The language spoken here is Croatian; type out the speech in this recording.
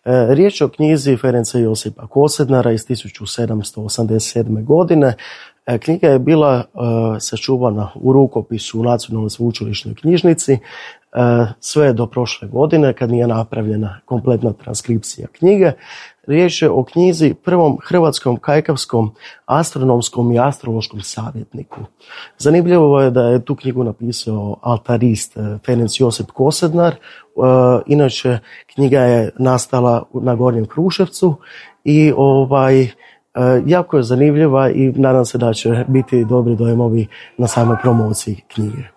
Riječ je o knjizi Ferenca Josipa Kosednara iz 1787. godine. Knjiga je bila sačuvana u rukopisu u Nacionalnoj sveučilišnoj knjižnici sve do prošle godine kad nije napravljena kompletna transkripcija knjige. Riječ je o knjizi prvom hrvatskom kajkavskom astronomskom i astrološkom savjetniku. Zanimljivo je da je tu knjigu napisao altarist Ferenc Josip Kosednar. Inače, knjiga je nastala na Gornjem Kruševcu i jako je zanimljiva i nadam se da će biti dobri dojmovi na samoj promociji knjige.